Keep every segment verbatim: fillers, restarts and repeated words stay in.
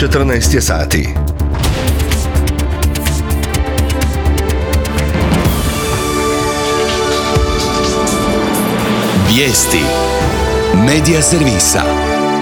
četrnaest je sati. Vijesti Medija servisa.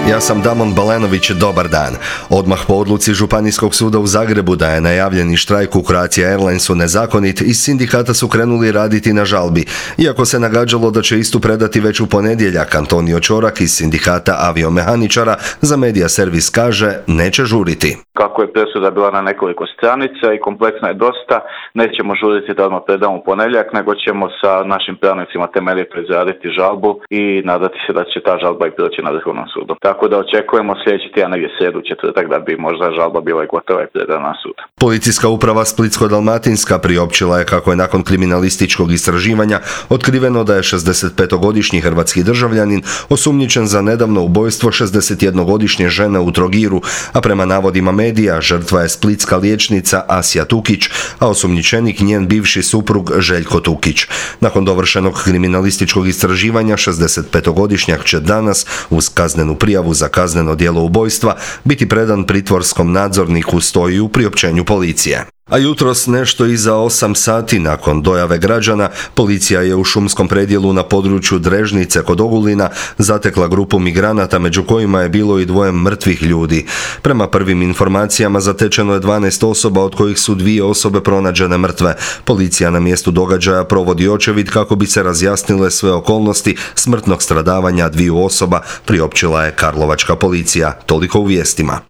Ja sam Damon Balenović, dobar dan. Odmah po odluci Županijskog suda u Zagrebu da je najavljeni štrajk u Croatia Airlinesu nezakonit, iz sindikata su krenuli raditi na žalbi. Iako se nagađalo da će istu predati već u ponedjeljak, Antonio Ćorak iz sindikata aviomehaničara za Medija servis kaže neće žuriti. Kako je presuda bila na nekoliko stranica i kompleksna je dosta, nećemo žuriti da odmah predamo u ponedjeljak, nego ćemo sa našim pravnicima temeljito izraditi žalbu i nadati se da će ta žalba i proći na Vrhovnom sudu. Tako da očekujemo sljedeći tjedan negdje srijedu, četvrtak da bi možda žalba bila i gotova i predana na sud. Policijska uprava Splitsko-dalmatinska priopćila je kako je nakon kriminalističkog istraživanja otkriveno da je šezdesetpetogodišnji hrvatski državljanin osumnjičen za nedavno ubojstvo šezdesetjednogodišnje žene u Trogiru, a prema navodima medija žrtva je splitska liječnica Asja Tukić, a osumnjičenik njen bivši suprug Željko Tukić. Nakon dovršenog kriminalističkog istraživanja šezdesetpetogodišnjak će danas uz kaznenu prijavu za kazneno djelo ubojstva biti predan pritvorskom nadzorniku, stoji u priopćenju policije. A jutros nešto iza osam sati nakon dojave građana, policija je u šumskom predjelu na području Drežnice kod Ogulina zatekla grupu migranata, među kojima je bilo i dvoje mrtvih ljudi. Prema prvim informacijama zatečeno je dvanaest osoba, od kojih su dvije osobe pronađene mrtve. Policija na mjestu događaja provodi očevid kako bi se razjasnile sve okolnosti smrtnog stradavanja dviju osoba, priopćila je karlovačka policija. Toliko u vijestima.